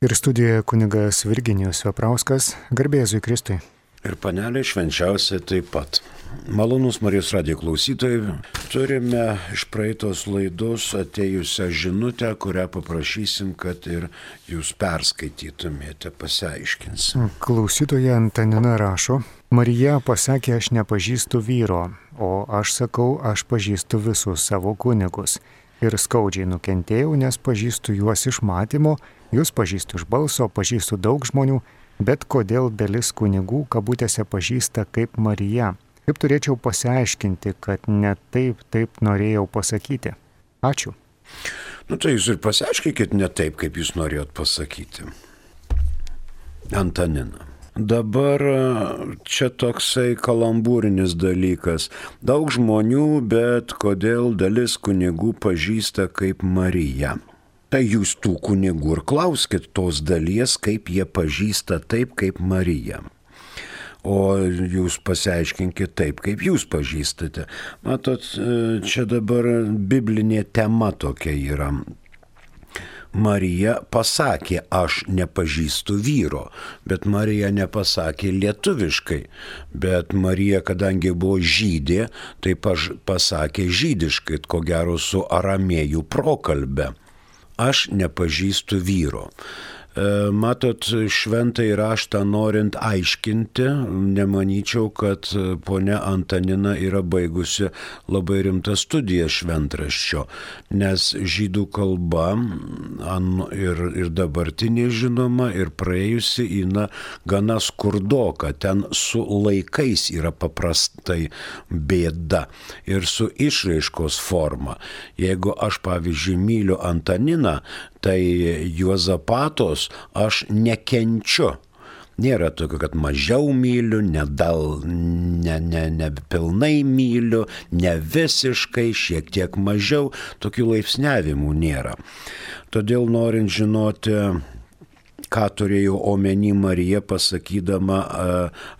Ir studijoje kunigas Virginijus Veprauskas, garbė Jėzui Kristui. Ir panelė švenčiausia taip pat. Malonus Marijos radijo klausytojai, turime iš praeitos laidos atėjusią žinutę, kurią paprašysim, kad ir jūs perskaitytumėte, pasiaiškinsim. Klausytoja Antanina rašo: Marija pasakė, aš nepažįstu vyro, o aš sakau, aš pažįstu visus savo kunigus. Ir skaudžiai nukentėjau, nes pažįstu juos iš matymo, jūs pažįstu iš balso, pažįstu daug žmonių, bet kodėl dalis kunigų kabutėse pažįsta kaip Marija? Kaip turėčiau pasiaiškinti, kad ne taip norėjau pasakyti? Ačiū. Tai jūs ir pasiaiškinkit ne taip, kaip jūs norėjot pasakyti. Antanina. Dabar čia toksai kalambūrinis dalykas. Daug žmonių, bet kodėl dalis kunigų pažįsta kaip Marija? Tai jūs tų kunigų ir klauskit tos dalies, kaip jie pažįsta taip kaip Marija. O jūs pasiaiškinkit taip, kaip jūs pažįstate. Matot, čia dabar biblinė tema tokia yra. Marija pasakė, aš nepažįstu vyro, bet Marija nepasakė lietuviškai. Bet Marija, kadangi buvo žydė, tai pasakė žydiškai, ko gero su aramėjų prokalbe. Aš nepažįstu vyro. Matot, šventąjį raštą norint aiškinti, nemanyčiau, kad ponia Antanina yra baigusi labai rimtą studiją šventraščio, nes žydų kalba ir dabartinė žinoma, ir praėjusi yra gana skurdoka, ten su laikais yra paprastai bėda ir su išraiškos forma. Jeigu aš, pavyzdžiui, myliu Antaniną, tai Juozapatos aš nekenčiu. Nėra tokio, kad mažiau myliu, ne pilnai myliu, ne visiškai, šiek tiek mažiau. Tokių laipsniavimų nėra. Todėl norint žinoti, ką turėjo omeny Marija pasakydama,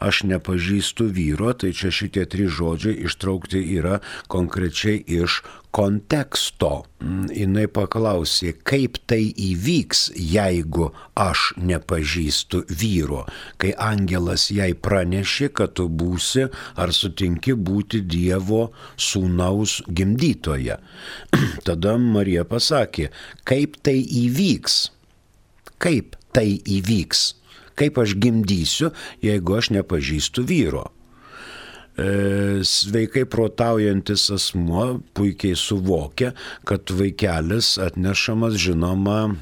aš nepažįstu vyro, tai čia šitie 3 žodžiai ištraukti yra konkrečiai iš konteksto. Jinai paklausė, kaip tai įvyks, jeigu aš nepažįstu vyro, kai angelas jai pranešė, kad tu būsi ar sutinki būti Dievo sūnaus gimdytoja. Tada Marija pasakė, kaip tai įvyks, kaip tai įvyks, kaip aš gimdysiu, jeigu aš nepažįstu vyro. Sveikai protaujantis asmuo puikiai suvokia, kad vaikelis atnešamas, žinoma,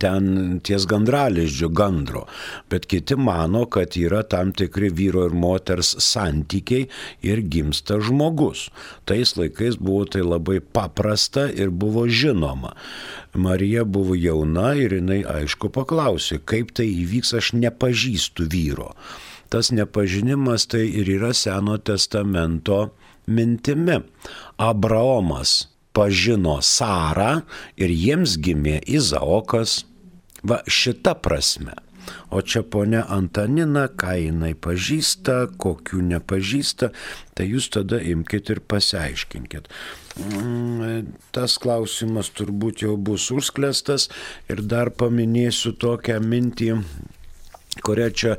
ten ties gandralizdžio gandro, bet kiti mano, kad yra tam tikri vyro ir moters santykiai ir gimsta žmogus. Tais laikais buvo tai labai paprasta ir buvo žinoma. Marija buvo jauna ir jinai aišku paklausė, kaip tai įvyks, aš nepažįstu vyro. Tas nepažinimas tai ir yra Seno testamento mintimi. Abraomas pažino Sarą ir jiems gimė Izaokas. Va šita prasme. O čia ponia Antanina, ką jinai pažįsta, kokių nepažįsta, tai jūs tada imkite ir pasiaiškinkit. Tas klausimas turbūt jau bus užsklęstas ir dar paminėsiu tokią mintį, kurią čia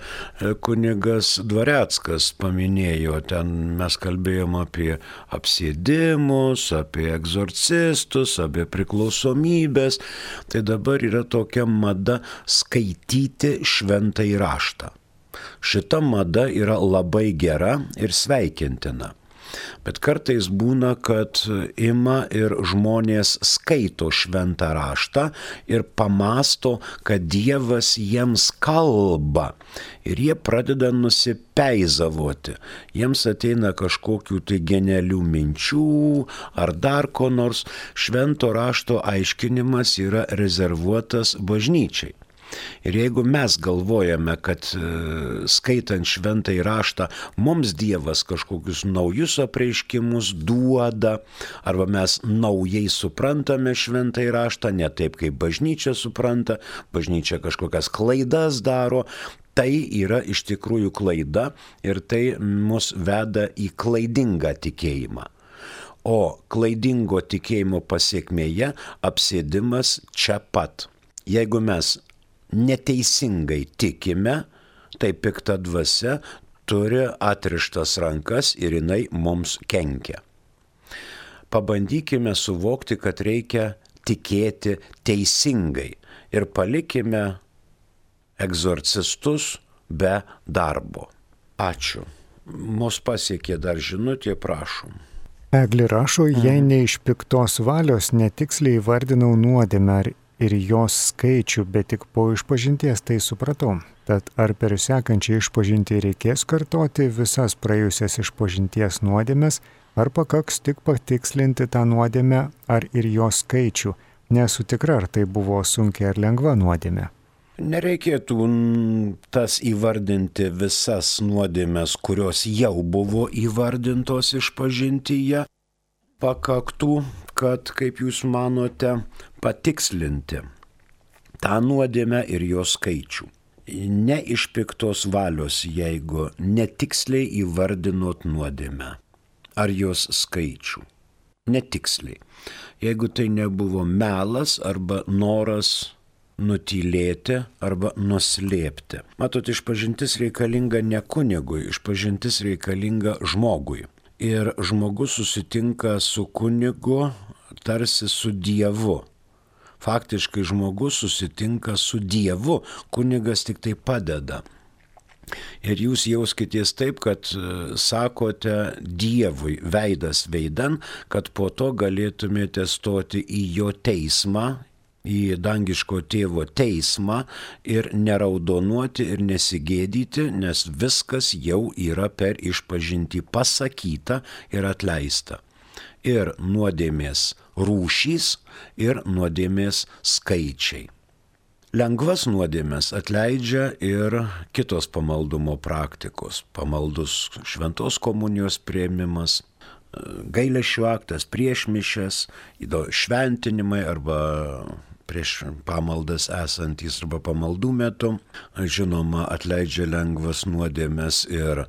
kunigas Dvareckas paminėjo. Ten mes kalbėjom apie apsėdimus, apie egzorcistus, apie priklausomybės. Tai dabar yra tokia mada skaityti šventąjį raštą. Šita mada yra labai gera ir sveikintina. Bet kartais būna, kad ima ir žmonės skaito šventą raštą ir pamasto, kad Dievas jiems kalba. Ir jie pradeda nusipeizavoti. Jiems ateina kažkokių tai genialių minčių ar dar ko nors. Švento rašto aiškinimas yra rezervuotas bažnyčiai. Ir jeigu mes galvojame, kad skaitant šventąjį raštą mums Dievas kažkokius naujus apreiškimus duoda, arba mes naujai suprantame šventąjį raštą, ne taip kaip bažnyčia supranta, bažnyčia kažkokias klaidas daro, tai yra iš tikrųjų klaida ir tai mus veda į klaidingą tikėjimą. O klaidingo tikėjimo pasiekmėje apsėdimas čia pat. Jeigu mes neteisingai tikime, tai pikta dvasia turi atrištas rankas ir jinai mums kenkia. Pabandykime suvokti, kad reikia tikėti teisingai ir palikime egzorcistus be darbo. Ačiū. Mus pasiekė dar žinutė, prašom. Eglė rašo, jei ne iš piktos valios netiksliai įvardinau nuodėmę ir jos skaičių, bet tik po išpažinties tai supratau. Tad ar per sekančią išpažintį reikės kartoti visas praėjusias išpažinties nuodėmes, ar pakaks tik patikslinti tą nuodėmę, ar ir jos skaičių? Nesu tikra, ar tai buvo sunkiai ar lengva nuodėmė. Nereikėtų tas įvardinti visas nuodėmes, kurios jau buvo įvardintos išpažintyje. Pakaktų, kad, kaip jūs manote, patikslinti tą nuodėmę ir jos skaičių. Ne iš piktos valios, jeigu netiksliai įvardinot nuodėmę ar jos skaičių. Netiksliai. Jeigu tai nebuvo melas arba noras nutylėti arba nuslėpti. Matot, išpažintis reikalinga ne kunigui, išpažintis reikalinga žmogui. Ir žmogus susitinka su kunigu tarsi su Dievu. Faktiškai žmogus susitinka su Dievu, kunigas tik tai padeda. Ir jūs jauskitės taip, kad sakote Dievui veidas veidan, kad po to galėtumėte stoti į jo teismą, į dangiško tėvo teismą ir neraudonuoti ir nesigėdyti, nes viskas jau yra per išpažintį pasakyta ir atleista. Ir nuodėmės rūšys, ir nuodėmės skaičiai. Lengvas nuodėmės atleidžia ir kitos pamaldumo praktikos. Pamaldus šventos komunijos priėmimas, gailesčio aktas prieš mišias, šventinimai arba prieš pamaldas esantys arba pamaldų metu. Žinoma, atleidžia lengvas nuodėmės ir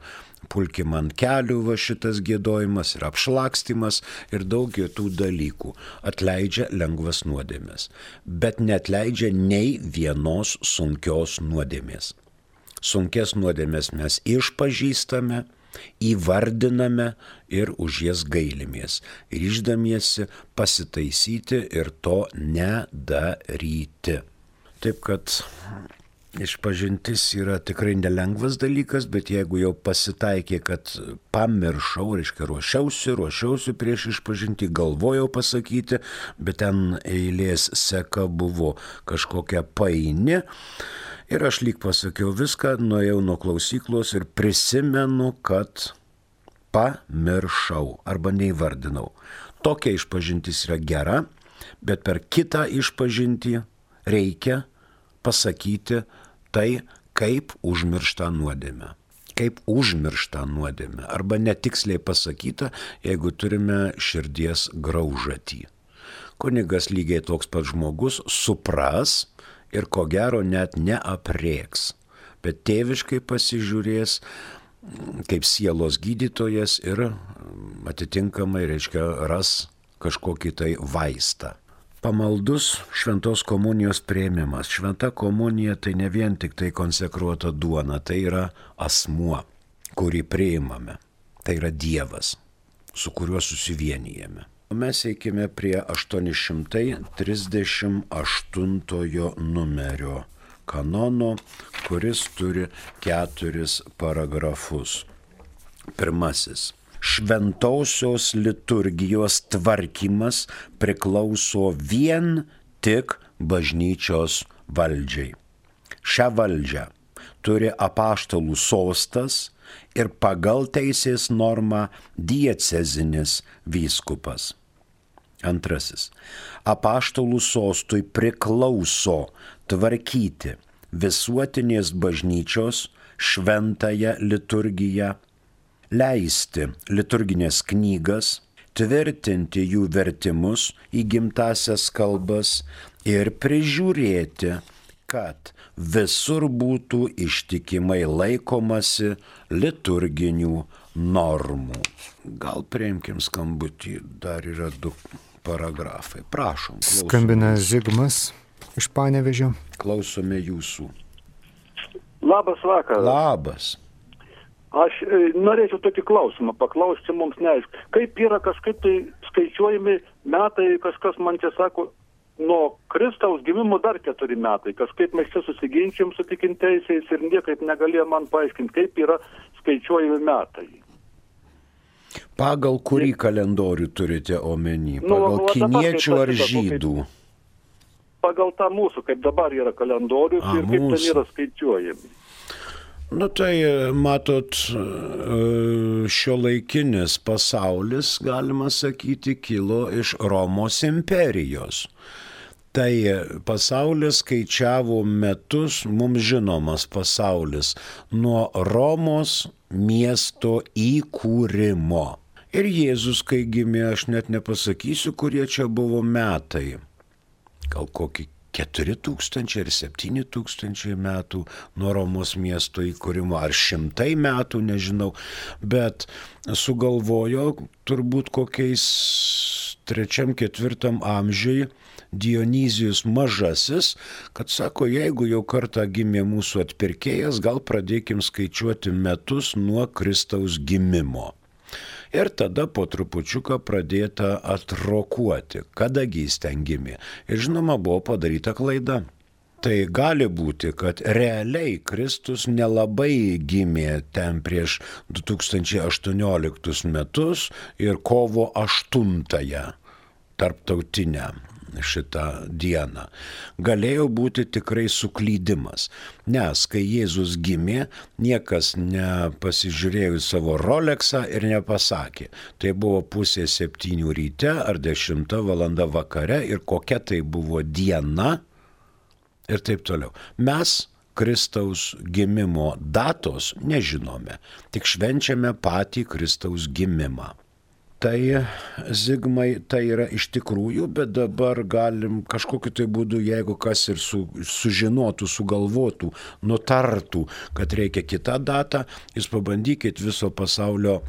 pulkim ant kelių va šitas giedojimas ir apšlakstymas ir daug kitų dalykų. Atleidžia lengvas nuodėmės, bet neatleidžia nei vienos sunkios nuodėmės. Sunkes nuodėmės mes išpažįstame, įvardiname ir už jas gailimės, ryždamiesi pasitaisyti ir to nedaryti. Taip kad išpažintis yra tikrai nelengvas dalykas, bet jeigu jau pasitaikė, kad pamiršau, reiškia ruošiausi prieš išpažintį, galvojau pasakyti, bet ten eilės seka buvo kažkokia paini. Ir aš lyg pasakiau viską, nuėjau nuo klausyklos ir prisimenu, kad pamiršau arba neįvardinau. Tokia išpažintis yra gera, bet per kitą išpažintį reikia pasakyti tai, kaip užmirštą nuodėmę. Kaip užmirštą nuodėmę. Arba netiksliai pasakyta, jeigu turime širdies graužatį. Kunigas lygiai toks pat žmogus supras, ir ko gero net neaprėks, bet tėviškai pasižiūrės kaip sielos gydytojas ir atitinkamai, reiškia, ras kažkokį tai vaistą. Pamaldus šventos komunijos priėmimas. Šventa komunija tai ne vien tik tai konsekruota duona, tai yra asmuo, kurį priimame. Tai yra Dievas, su kuriuo susivienijame. Mes eikime prie 838 numerio kanono, kuris turi 4 paragrafus. Pirmasis. Šventosios liturgijos tvarkymas priklauso vien tik bažnyčios valdžiai. Šią valdžią turi apaštalų sostas ir pagal teisės normą diecezinis vyskupas. Antrasis. Apaštalų sostui priklauso tvarkyti visuotinės bažnyčios šventąją liturgiją, leisti liturginės knygas, tvirtinti jų vertimus į gimtąsias kalbas ir prižiūrėti, kad visur būtų ištikimai laikomasi liturginių normų. Gal priimkim skambutį, dar yra 2 paragrafai. Prašom. Klausom. Skambina Zigmas. iš Panevėžio. Klausome jūsų. Labas vakaras. Labas. Aš norėčiau tokį klausimą paklausti, mums neaišku. Kaip yra kažkaip tai skaičiuojami metai, kažkas man čia sako, nuo Kristaus gimimo dar 4 metai. Kažkaip mes čia susiginčiam su tikinteisiais ir niekaip negalėjo man paaiškinti, kaip yra skaičiuojami metai. Pagal kurį kalendorių turite omeny? Pagal kiniečių ar žydų? Pagal tą mūsų, kaip dabar yra kalendorius ir kaip ten yra skaičiuojami. Nu tai, matot, šiuolaikinis pasaulis, galima sakyti, kilo iš Romos imperijos. Tai pasaulis skaičiavo metus, mums žinomas pasaulis, nuo Romos miesto įkūrimo. Ir Jėzus, kai gimė, aš net nepasakysiu, kurie čia buvo metai. Gal kokį 4000 ar 7000 metų nuo Romos miesto įkūrimo, ar 100 metų, nežinau, bet sugalvojo turbūt kokiais 3-4 amžiui Dionizijus Mažasis, kad sako, jeigu jau kartą gimė mūsų atpirkėjas, gal pradėkim skaičiuoti metus nuo Kristaus gimimo. Ir tada po trupučiuką pradėta atrokuoti, kadagi jis ten gimė. Ir žinoma, buvo padaryta klaida. Tai gali būti, kad realiai Kristus nelabai gimė ten prieš 2018 metus ir kovo 8-ąją tarptautinę šitą dieną. Galėjo būti tikrai suklydimas, nes kai Jėzus gimė, niekas nepasižiūrėjo į savo Rolexą ir nepasakė. Tai buvo 6:30 ryte ar 10 valanda vakare ir kokia tai buvo diena ir taip toliau. Mes Kristaus gimimo datos nežinome, tik švenčiame patį Kristaus gimimą. Tai, Zigmai, tai yra iš tikrųjų, bet dabar galim kažkokiu tai būdu, jeigu kas ir sužinotų, sugalvotų, nutartų, kad reikia kitą datą, jūs pabandykit viso pasaulio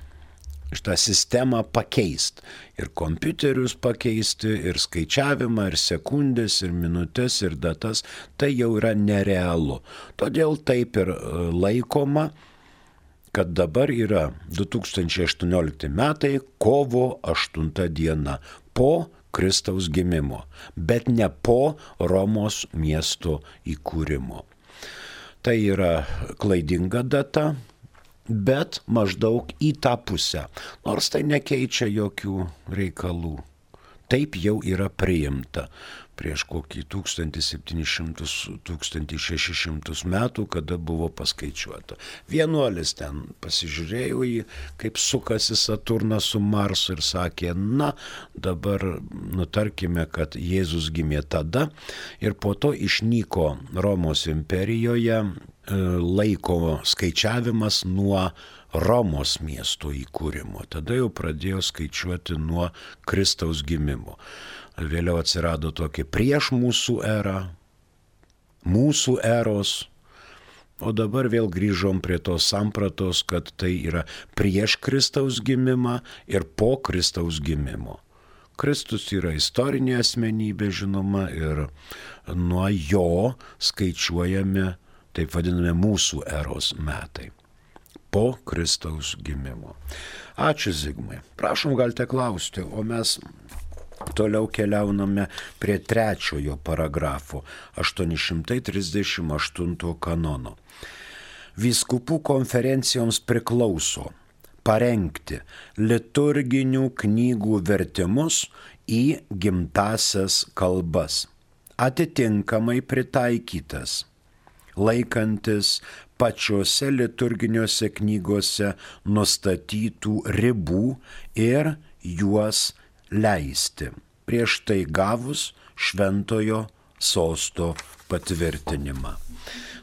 šitą sistemą pakeisti. Ir kompiuterius pakeisti, ir skaičiavimą, ir sekundės, ir minutės, ir datas. Tai jau yra nerealu. Todėl taip ir laikoma, kad dabar yra 2018 metai, kovo 8 diena, po Kristaus gimimo, bet ne po Romos miesto įkūrimo. Tai yra klaidinga data, bet maždaug į tą pusę, nors tai nekeičia jokių reikalų. Taip jau yra priimta prieš kokį 1700-1600 metų, kada buvo paskaičiuota. Vienuolis ten pasižiūrėjo į, kaip sukasi Saturnas su Marsu ir sakė, na, dabar nutarkime, kad Jėzus gimė tada ir po to išnyko Romos imperijoje laiko skaičiavimas nuo Romos miesto įkūrimo. Tada jau pradėjo skaičiuoti nuo Kristaus gimimo. Vėliau atsirado tokie prieš mūsų erą, mūsų eros, o dabar vėl grįžom prie tos sampratos, kad tai yra prieš Kristaus gimimą ir po Kristaus gimimo. Kristus yra istorinė asmenybė, žinoma, ir nuo jo skaičiuojami, taip vadinami, mūsų eros metai. Po Kristaus gimimo. Ačiū, Zigmai. Prašom, galite klausti, o mes toliau keliauname prie 3 paragrafo 838 kanono. Vyskupų konferencijoms priklauso parengti liturginių knygų vertimus į gimtasias kalbas, atitinkamai pritaikytas, laikantis pačiose liturginiuose knygose nustatytų ribų ir juos leisti, prieš tai gavus šventojo sosto patvirtinimą.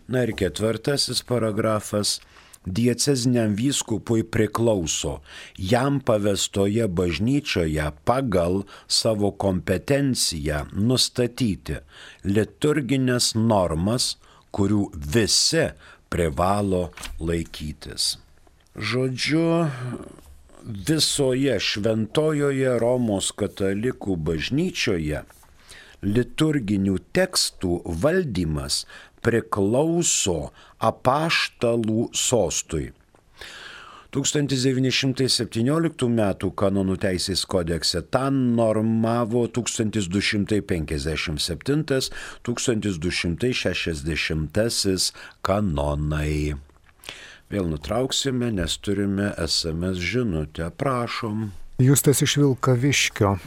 Na ir 4 paragrafas. Dieceziniam vyskupui priklauso jam pavestoje bažnyčioje pagal savo kompetenciją nustatyti liturginės normas, kurių visi privalo laikytis. Žodžiu, visoje šventojoje Romos katalikų bažnyčioje liturginių tekstų valdymas priklauso apaštalų sostui. 1917 m. kanonų teisės kodekse tą normavo 1257-1260 kanonai. Vėl nutrauksime, nes turime SMS žinutę, prašom. Justas iš Vilkaviškio.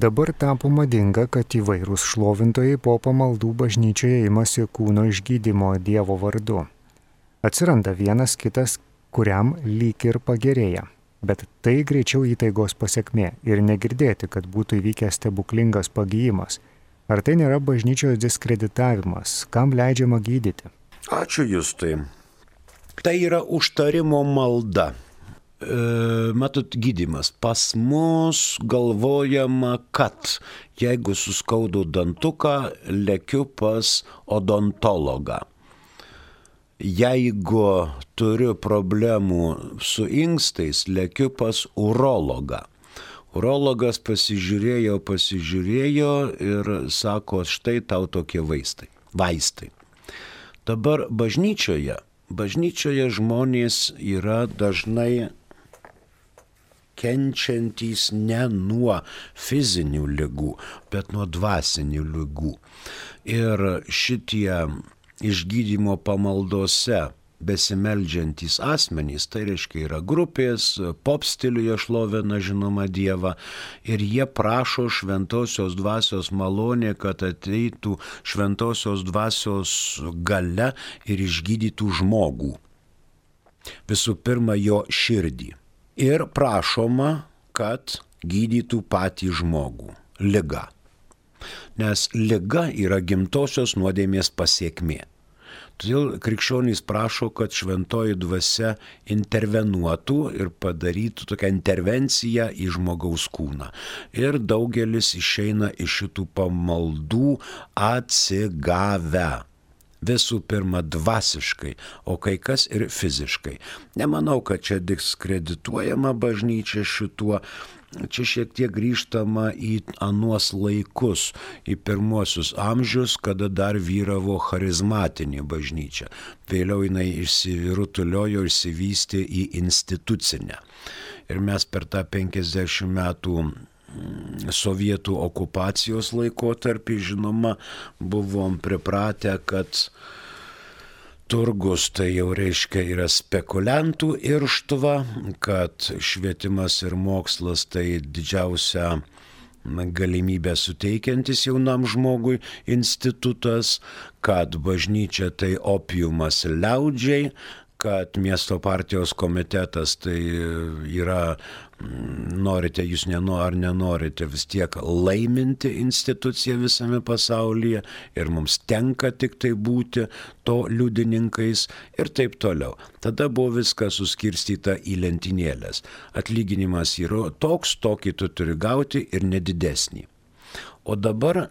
Dabar tapo madinga, kad įvairūs šlovintojai po pamaldų bažnyčioje imasi kūno išgydymo Dievo vardu. Atsiranda vienas kitas, kuriam lyg ir pagerėja. Bet tai greičiau įtaigos pasekmė ir negirdėti, kad būtų įvykęs stebuklingas pagyjimas. Ar tai nėra bažnyčios diskreditavimas? Kam leidžiama gydyti? Ačiū Justai. Tai yra užtarimo malda. Matot, gydymas. Pas mus galvojama, kad jeigu suskaudu dantuką, lekiu pas odontologą. Jeigu turiu problemų su inkstais, lekiu pas urologą. Urologas pasižiūrėjo ir sako, štai tau tokie vaistai. Dabar bažnyčioje žmonės yra dažnai kenčiantys ne nuo fizinių ligų, bet nuo dvasinių ligų. Ir šitie išgydymo pamaldose besimeldžiantys asmenys, tai reiškia yra grupės, pop stiliuje šlovina žinoma Dievą, ir jie prašo šventosios dvasios malonė, kad ateitų šventosios dvasios galia ir išgydytų žmogų. Visų pirma, jo širdį. Ir prašoma, kad gydytų patį žmogų. Liga. Nes liga yra gimtosios nuodėmės pasekmė. Todėl krikščionys prašo, kad šventoji dvasia intervenuotų ir padarytų tokią intervenciją į žmogaus kūną. Ir daugelis išeina iš šitų pamaldų atsigavę. Visų pirma dvasiškai, o kai kas ir fiziškai. Nemanau, kad čia diskredituojama bažnyčia šituo. Čia šiek tiek grįžtama į anuos laikus, į pirmuosius amžius, kada dar vyravo charizmatinė bažnyčia. Vėliau jinai išsirutuliojo, išsivystė į institucinę. Ir mes per tą 50 metų sovietų okupacijos laikotarpį, žinoma, buvom pripratę, kad turgus tai jau reiškia yra spekuliantų irštva, kad švietimas ir mokslas tai didžiausia galimybę suteikiantis jaunam žmogui institutas, kad bažnyčia tai opiumas liaudžiai, kad miesto partijos komitetas tai yra, norite jūs ar nenorite, vis tiek laiminti instituciją visame pasaulyje ir mums tenka tik tai būti to liudininkais ir taip toliau. Tada buvo viskas suskirstyta į lentynėlės. Atlyginimas yra toks, tokį tu turi gauti ir nedidesnį. O dabar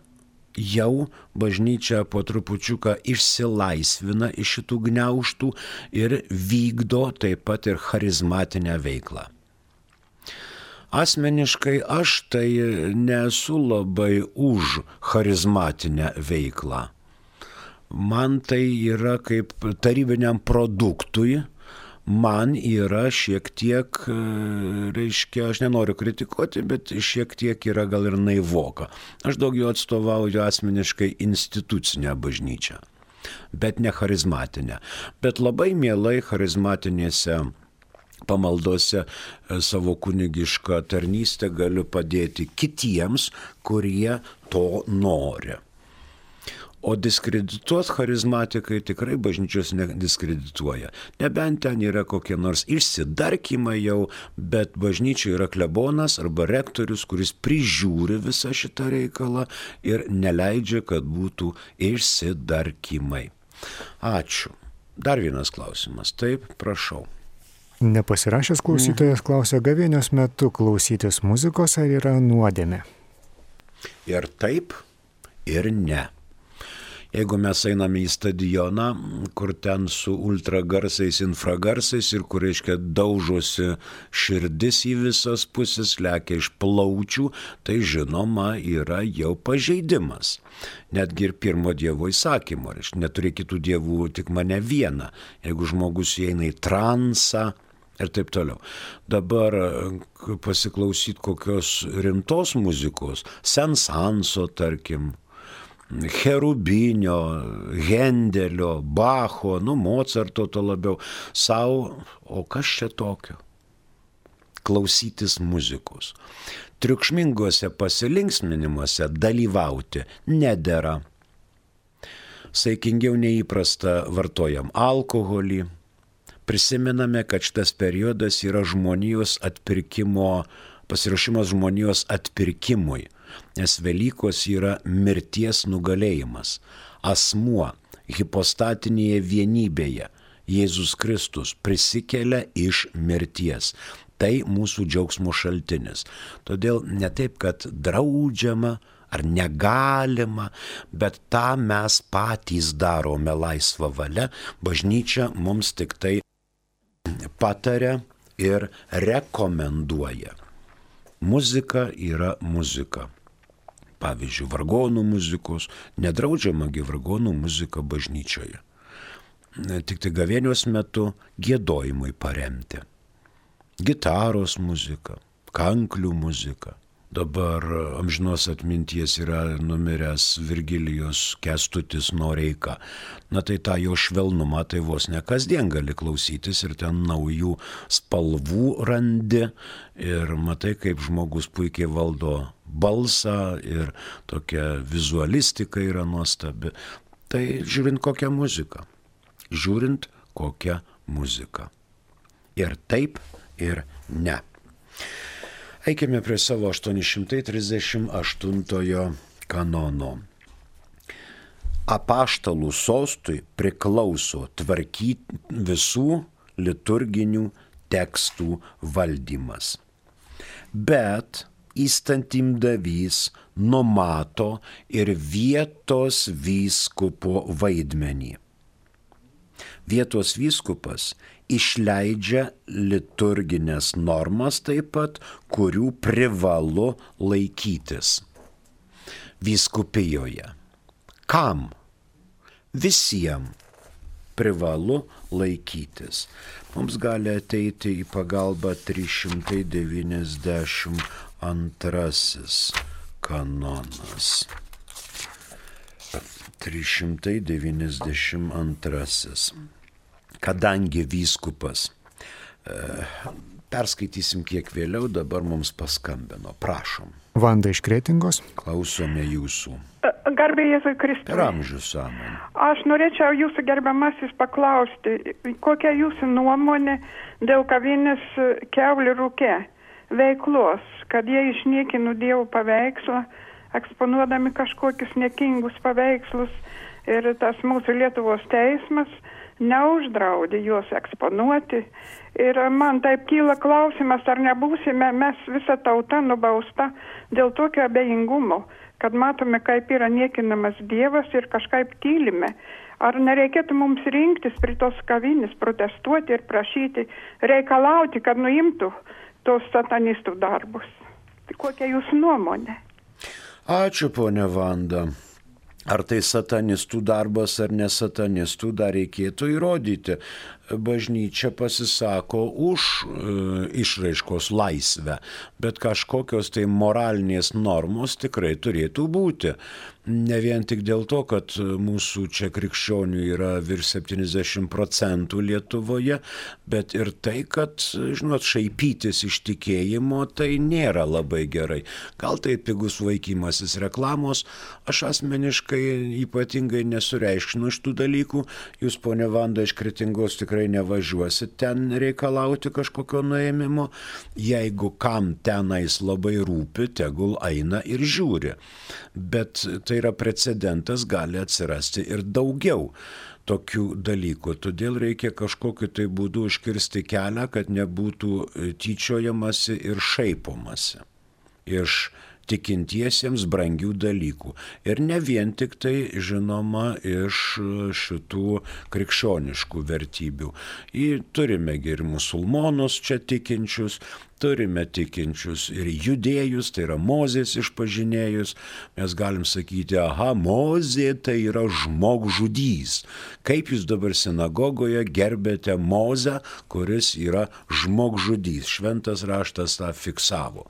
jau bažnyčia po trupučiuką išsilaisvina iš šitų gniaužtų ir vykdo taip pat ir charizmatinę veiklą. Asmeniškai aš tai nesu labai už charizmatinę veiklą. Man tai yra kaip tarybiniam produktui, man yra šiek tiek, reiškia, aš nenoriu kritikuoti, bet šiek tiek yra gal ir naivoka. Aš daugiau atstovauju asmeniškai institucinę bažnyčią, bet ne charizmatinę. Bet labai mielai charizmatinėse pamaldose savo kunigišką tarnystę galiu padėti kitiems, kurie to nori. O diskredituot charizmatikai tikrai bažnyčios nediskredituoja. Nebent ten yra kokie nors išsidarkymai jau, bet bažnyčia yra klebonas arba rektorius, kuris prižiūri visą šitą reikalą ir neleidžia, kad būtų išsidarkymai. Ačiū. Dar vienas klausimas. Taip, prašau. Nepasirašęs klausytojas klausia, gavėnios metu klausytis muzikos ar yra nuodėmė? Ir taip, ir ne. Jeigu mes einame į stadioną, kur ten su ultragarsais, infragarsais ir kur, reiškia, daužosi širdis į visas pusės, lekia iš plaučių, tai žinoma yra jau pažeidimas. Netgi ir pirmo Dievo įsakymo, reiškia, neturi kitų dievų, tik mane vieną. Jeigu žmogus įeina į transą, ir taip toliau. Dabar pasiklausyt kokios rimtos muzikos, Sensanso, tarkim, Cherubinio, Hendelio, Bacho, Mocarto to labiau, o kas čia tokio? Klausytis muzikos. Triukšmingose pasilinksminimuose dalyvauti nedera. Saikingiau neįprasta vartojam alkoholį. Prisimename, kad šitas periodas yra žmonijos atpirkimo, pasiruošimas žmonijos atpirkimui, nes Velykos yra mirties nugalėjimas. Asmuo hipostatinėje vienybėje, Jėzus Kristus, prisikelia iš mirties. Tai mūsų džiaugsmo šaltinis. Todėl ne taip, kad draudžiama ar negalima, bet tą mes patys darome laisvą valią, bažnyčia mums tik tai pataria ir rekomenduoja. Muzika yra muzika. Pavyzdžiui, vargonų muzikos, nedraudžiamagi vargonų muzika bažnyčioje. Tik tai gavėnios metu giedojimui paremti. Gitaros muzika, kanklių muzika. Dabar amžinos atminties yra numiręs Virgilijus Kęstutis Noreika. Na tai tą jo švelnumą tai vos ne kasdien gali klausytis ir ten naujų spalvų randi ir matai, kaip žmogus puikiai valdo balsą ir tokia vizualistika yra nuostabi. Tai žiūrint kokią muziką. Žiūrint kokią muziką. Ir taip, ir ne. Eikime prie savo 838 kanono. Apaštalų sostui priklauso tvarkyti visų liturginių tekstų valdymas. Bet įstatymdavys numato ir vietos vyskupo vaidmenį. Vietos vyskupas išleidžia liturginės normas taip pat, kurių privalu laikytis vyskupijoje. Kam? Visiems privalu laikytis. Mums gali ateiti į pagalbą 392 kanonas. 392. Kadangi vyskupas, perskaitysim kiek vėliau, dabar mums paskambino. Prašom. Vanda iš Kretingos. Klausome jūsų. Garbė Jėzui Kristui. Per amžius amen. Aš norėčiau jūsų gerbiamasis paklausti, kokia jūsų nuomonė dėl kavinės Kiaulių Rūke veiklos, kad jie išniekino Dievo paveikslą, eksponuodami kažkokius niekingus paveikslus ir tas mūsų Lietuvos teismas neuždraudė juos eksponuoti. Ir man taip kyla klausimas, ar nebūsime mes visa tauta nubausta dėl tokio abejingumo, kad matome, kaip yra niekinamas Dievas ir kažkaip tylime. Ar nereikėtų mums rinktis prie tos kavinės, protestuoti ir prašyti, reikalauti, kad nuimtų tos satanistų darbus? Tai kokia jūsų nuomonė? Ačiū, ponia Vanda. Ar tai satanistų darbas ar ne satanistų, dar reikėtų įrodyti. Bažnyčia pasisako už išraiškos laisvę, bet kažkokios tai moralinės normos tikrai turėtų būti. Ne vien tik dėl to, kad mūsų čia krikščionių yra virš 70% Lietuvoje, bet ir tai, kad, žinot, šaipytis iš tikėjimo tai nėra labai gerai. Gal tai pigus vaikymasis reklamos, aš asmeniškai ypatingai nesureikšminu šitų dalykų. Jūs, ponia Vanda, iš Kretingos tikrai nevažiuosit ten reikalauti kažkokio nuėmimo. Jeigu kam tenais labai rūpi, tegul eina ir žiūri. Bet tai yra precedentas, gali atsirasti ir daugiau tokių dalykų. Todėl reikia kažkokiu tai būdu užkirsti kelią, kad nebūtų tyčiojamasi ir šaipomasi iš tikintiesiems brangių dalykų. Ir ne vien tik tai, žinoma, iš šitų krikščioniškų vertybių. Turime ir musulmonus čia tikinčius, turime tikinčius ir judėjus, tai yra Mozės išpažinėjus. Mes galim sakyti, aha, Mozė tai yra žmogžudys. Kaip jūs dabar sinagogoje gerbėte Mozę, kuris yra žmogžudys? Šventas raštas tą fiksavo.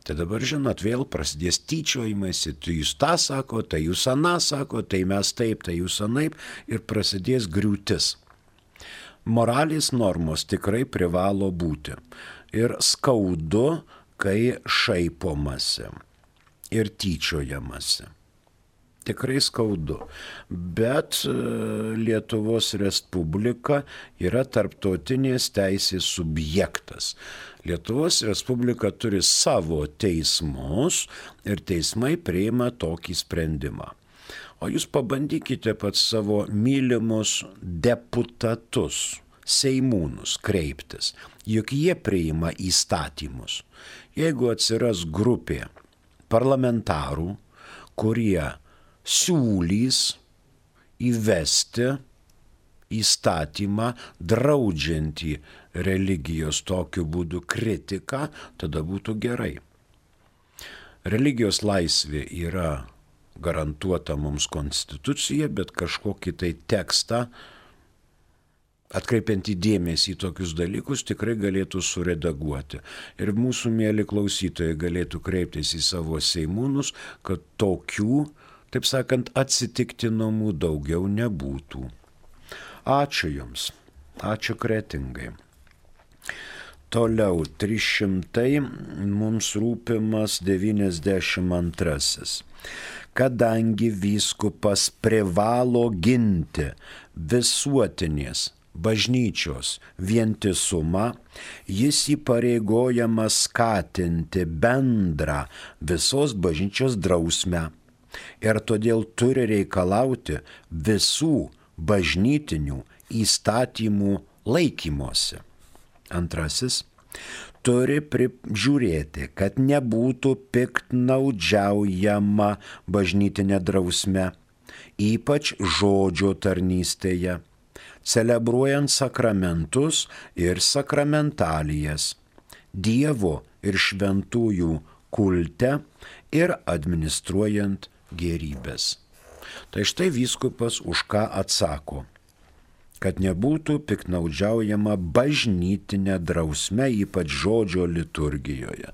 Tai dabar, žinot, vėl prasidės tyčiojimasi, tai jūs tą sako, tai jūs aną sako, tai mes taip, tai jūs anaip, ir prasidės griūtis. Moralės normos tikrai privalo būti. Ir skaudu, kai šaipomasi ir tyčiojamasi. Tikrai skaudu. Bet Lietuvos Respublika yra tarptautinės teisės subjektas. Lietuvos Respublika turi savo teismus ir teismai priima tokį sprendimą. O jūs pabandykite pats savo mylimus deputatus, seimūnus kreiptis, juk jie priima įstatymus. Jeigu atsiras grupė parlamentarų, kurie siūlys įvesti įstatymą draudžiantį religijos tokiu būdu kritiką, tada būtų gerai. Religijos laisvė yra garantuota mums konstitucija, bet kažkokį tai tekstą, atkreipiant dėmesį į tokius dalykus, tikrai galėtų suredaguoti. Ir mūsų mėly klausytojai galėtų kreiptis į savo seimūnus, kad tokių, taip sakant, atsitiktinumų daugiau nebūtų. Ačiū Jums. Ačiū Kretingai. Toliau 300 mums rūpimas 92. Kadangi vyskupas privalo ginti visuotinės bažnyčios vientisumą, jis įpareigojamas skatinti bendrą visos bažnyčios drausmę ir todėl turi reikalauti visų bažnytinių įstatymų laikymosi. Antrasis, turi prižiūrėti, kad nebūtų piktnaudžiaujama bažnytinė drausme, ypač žodžio tarnystėje, celebruojant sakramentus ir sakramentalijas, Dievo ir šventųjų kulte ir administruojant gėrybės. Tai štai vyskupas už ką atsako, kad nebūtų piktnaudžiaujama bažnytinė drausme, ypač žodžio liturgijoje.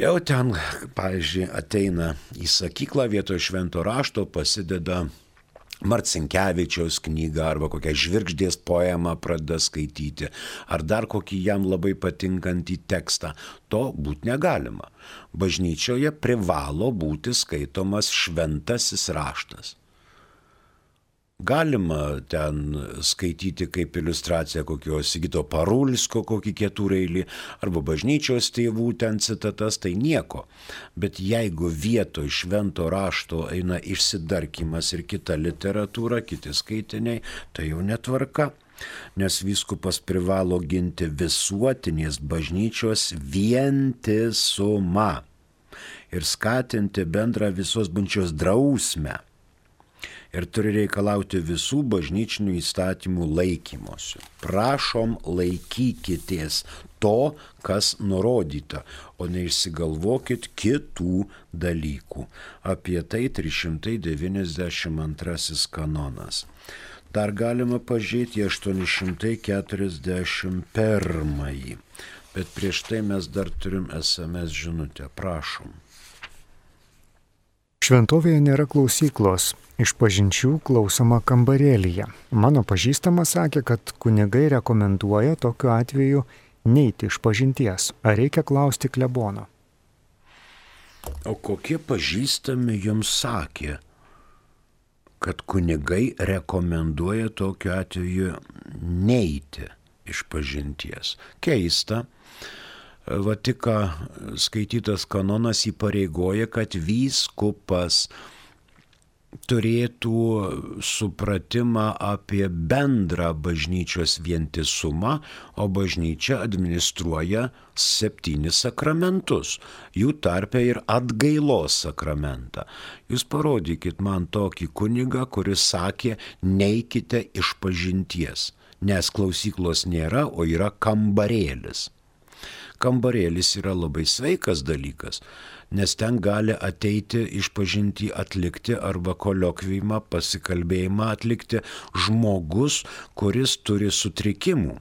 Jau ten, pavyzdžiui, ateina į sakyklą vietoj švento rašto, pasideda Marcinkevičiaus knygą arba kokią Žvirgždės poemą pradeda skaityti, ar dar kokį jam labai patinkantį tekstą. To būti negalima. Bažnyčioje privalo būti skaitomas šventasis raštas. Galima ten skaityti kaip iliustraciją kokio Sigito Parulskio kokį ketureilį arba bažnyčios tėvų ten citatas, tai nieko. Bet jeigu vietoj švento rašto eina išsidarkymas ir kita literatūra, kiti skaitiniai, tai jau netvarka. Nes vyskupas privalo ginti visuotinės bažnyčios vientisumą ir skatinti bendrą visos bažnyčios drausmę. Ir turi reikalauti visų bažnyčinių įstatymų laikymosi. Prašom, laikykitės to, kas nurodyta, o neišsigalvokit kitų dalykų. Apie tai 392 kanonas. Dar galima pažiūrėti 841. Bet prieš tai mes dar turim SMS žinutę. Prašom. Šventovėje nėra klausyklos, išpažinčių klausoma kambarėlyje. Mano pažįstamas sakė, kad kunigai rekomenduoja tokiu atveju neiti išpažinties. Ar reikia klausti klebono? O kokie pažįstami jums sakė, kad kunigai rekomenduoja tokiu atveju neiti išpažinties? Keista. Va tik skaitytas kanonas įpareigoja, kad vyskupas turėtų supratimą apie bendrą bažnyčios vientisumą, o bažnyčia administruoja 7 sakramentus, jų tarpe ir atgailos sakramentą. Jūs parodykit man tokį kunigą, kuris sakė, neikite išpažinties, nes klausyklos nėra, o yra kambarėlis. Kambarėlis yra labai sveikas dalykas, nes ten gali ateiti išpažintį atlikti arba koliokvijimą, pasikalbėjimą atlikti žmogus, kuris turi sutrikimų.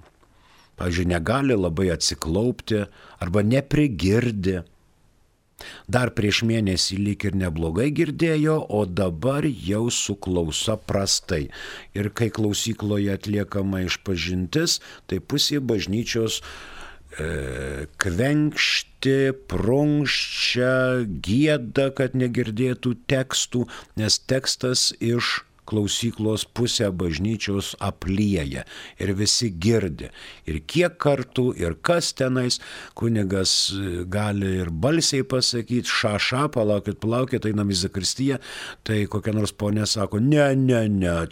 Pavyzdžiui, negali labai atsiklaupti arba neprigirdi. Dar prieš mėnesį lyg ir neblogai girdėjo, o dabar jau su klausa prastai. Ir kai klausykloje atliekama išpažintis, tai pusė bažnyčios kvenkšti, prunkščia, gieda, kad negirdėtų tekstų, nes tekstas iš klausyklos pusę bažnyčios aplieja ir visi girdi. Ir kiek kartų, ir kas tenais, kunigas gali ir balsiai pasakyti, ša, palaukit, einam į zakristiją, tai kokia nors ponė sako, ne,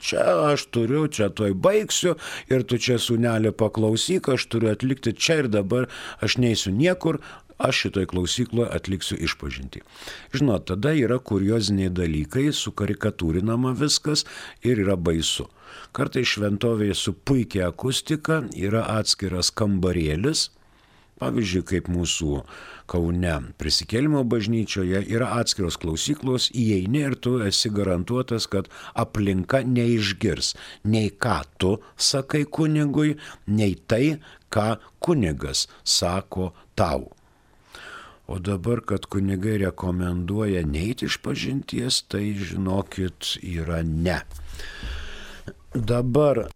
čia aš turiu, čia toj baigsiu, ir tu čia sūnelį paklausyk, aš turiu atlikti čia ir dabar, aš neisiu niekur, aš šitoj klausykloje atliksiu išpažintį. Žinot, tada yra kurioziniai dalykai, sukarikatūrinama viskas ir yra baisu. Kartais šventovėje su puikia akustika yra atskiras kambarėlis, pavyzdžiui, kaip mūsų Kaune Prisikėlimo bažnyčioje yra atskiros klausyklos, įeini ir tu esi garantuotas, kad aplinka neišgirs nei ką tu sakai kunigui, nei tai, ką kunigas sako tau. O dabar, kad kunigai rekomenduoja neiti išpažinties, tai žinokit, yra ne. Dabar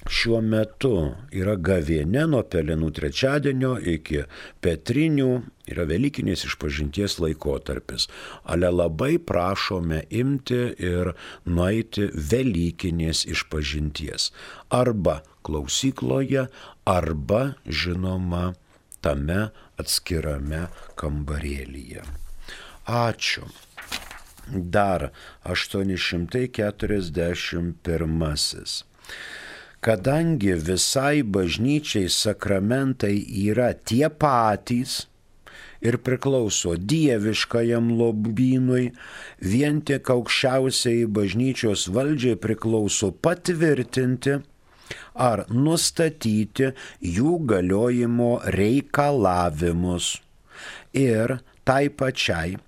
šiuo metu yra gavėnia nuo Pelenų trečiadienio iki Petrinių, yra Velykinės išpažinties laikotarpis. Ale labai prašome imti ir nueiti Velykinės išpažinties. Arba klausykloje, arba, žinoma, tame atskirame kambarėlyje. Ačiū. Dar 841. Kadangi visai bažnyčiai sakramentai yra tie patys ir priklauso dieviškajam lobynui, vien tik aukščiausiai bažnyčios valdžiai priklauso patvirtinti ar nustatyti jų galiojimo reikalavimus ir tai pačiai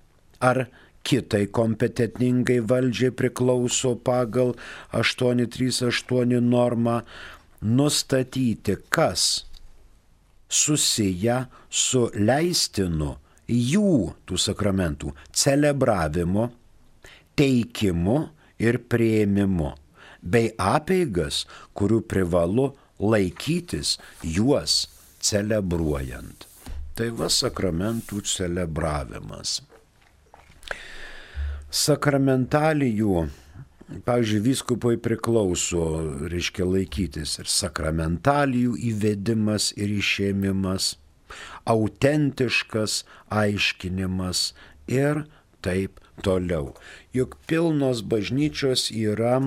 ar kitai kompetentingai valdžiai priklauso pagal 838 normą nustatyti, kas susiję su leistinu jų tų sakramentų celebravimo, teikimu ir priėmimu, bei apeigas, kurių privalu laikytis juos celebruojant. Tai va sakramentų celebravimas. Sakramentalijų, pavyzdžiui, vyskupui priklauso, reiškia laikytis ir sakramentalijų įvedimas ir išėmimas, autentiškas aiškinimas ir taip toliau. Juk pilnos bažnyčios yra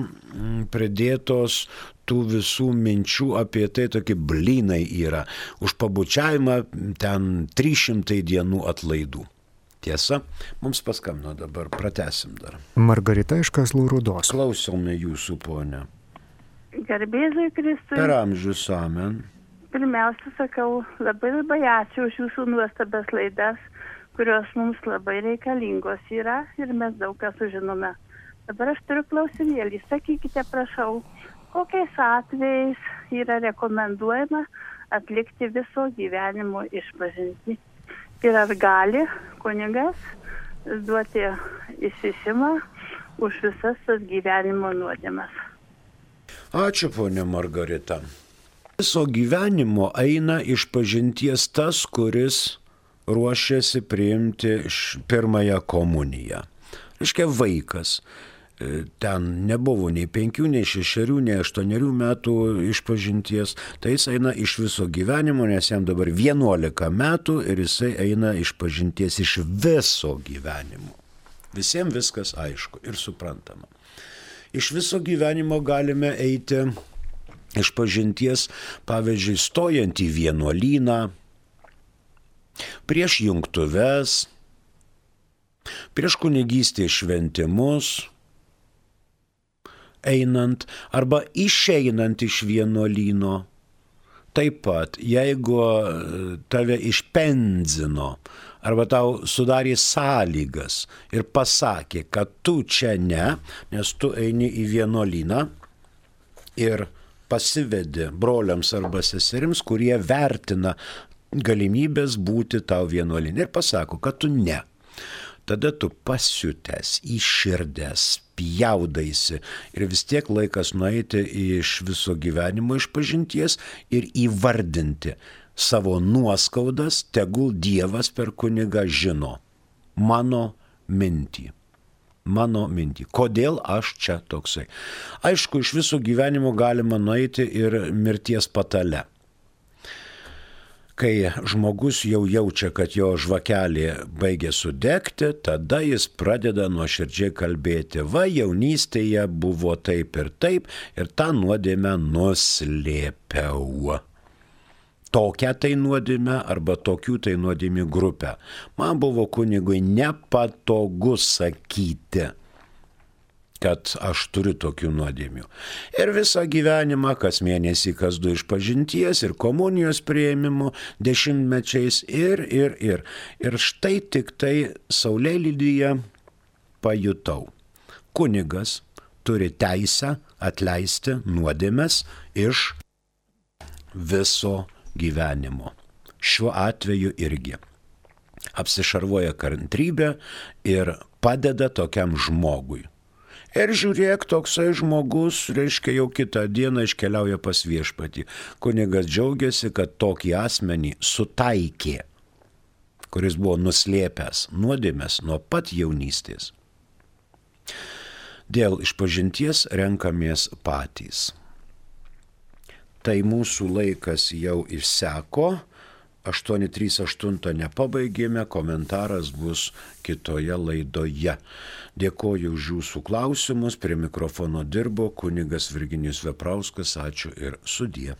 pridėtos tų visų minčių apie tai, tokie blynai yra. Už pabučiavimą ten 300 dienų atlaidų. Tiesa, mums paskambino dabar, pratęsim dar. Margarita iš Kazlų Rūdos. Klausome jūsų, ponė. Garbėzui Kristui. Per amžius, amen. Pirmiausia, sakau, labai ačiū už jūsų nuostabias laidas, kurios mums labai reikalingos yra ir mes daug ką sužinome. Dabar aš turiu klausimėlį. Sakykite, prašau, kokiais atvejais yra rekomenduojama atlikti viso gyvenimo išpažintį? Ir ar gali kunigas duoti išsišimą už visas tas gyvenimo nuodėmes? Ačiū, ponė Margarita. Viso gyvenimo eina išpažinties tas, kuris ruošiasi priimti pirmąją komuniją. Reiškia vaikas. Ten nebuvo nei 5, nei 6, nei 8 metų išpažinties. Tai jis eina iš viso gyvenimo, nes jam dabar 11 metų ir jisai eina išpažinties iš viso gyvenimo. Visiems viskas aišku ir suprantama. Iš viso gyvenimo galime eiti iš pažinties, pavyzdžiui, stojant į vienuolyną, prieš jungtuves, prieš kunigystės šventimus, einant arba išeinant iš vienuolyno. Taip pat, jeigu tave išpenzino arba tau sudarė sąlygas ir pasakė, kad tu čia ne, nes tu eini į vienuolyną ir pasivedi broliams arba seserims, kurie vertina galimybės būti tau vienuolyne ir pasako, kad tu ne. Tada tu pasiutęs, įširdęs, pjaudaisi ir vis tiek laikas nueiti iš viso gyvenimo išpažinties ir įvardinti savo nuoskaudas, tegul Dievas per kunigą žino mano mintį. Kodėl aš čia toksai? Aišku, iš viso gyvenimo galima nueiti ir mirties patale. Kai žmogus jau jaučia, kad jo žvakelė baigia sudegti, tada jis pradeda nuoširdžiai kalbėti, va jaunystėje buvo taip ir tą nuodėmę nuslėpiau. Tokią tai nuodėmę arba tokių tai nuodėmių grupę. Man buvo kunigui nepatogu sakyti, kad aš turiu tokių nuodėmių. Ir visą gyvenimą, kas mėnesį, kas du išpažinties ir komunijos priėmimo dešimtmečiais ir. Ir štai tik tai Saulėlydyje pajutau. Kunigas turi teisę atleisti nuodėmes iš viso gyvenimo. Šiuo atveju irgi. Apsišarvoja kantrybę ir padeda tokiam žmogui. Ir žiūrėk, toksai žmogus, reiškia, jau kitą dieną iškeliauja pas viešpatį. Kunigas džiaugiasi, kad tokį asmenį sutaikė, kuris buvo nuslėpęs nuodėmes nuo pat jaunystės. Dėl išpažinties renkamės patys. Tai mūsų laikas jau išseko. 838 nepabaigėme, komentaras bus kitoje laidoje. Dėkoju už jūsų klausimus, prie mikrofono dirbo kunigas Virginijus Veprauskas, ačiū ir sudie.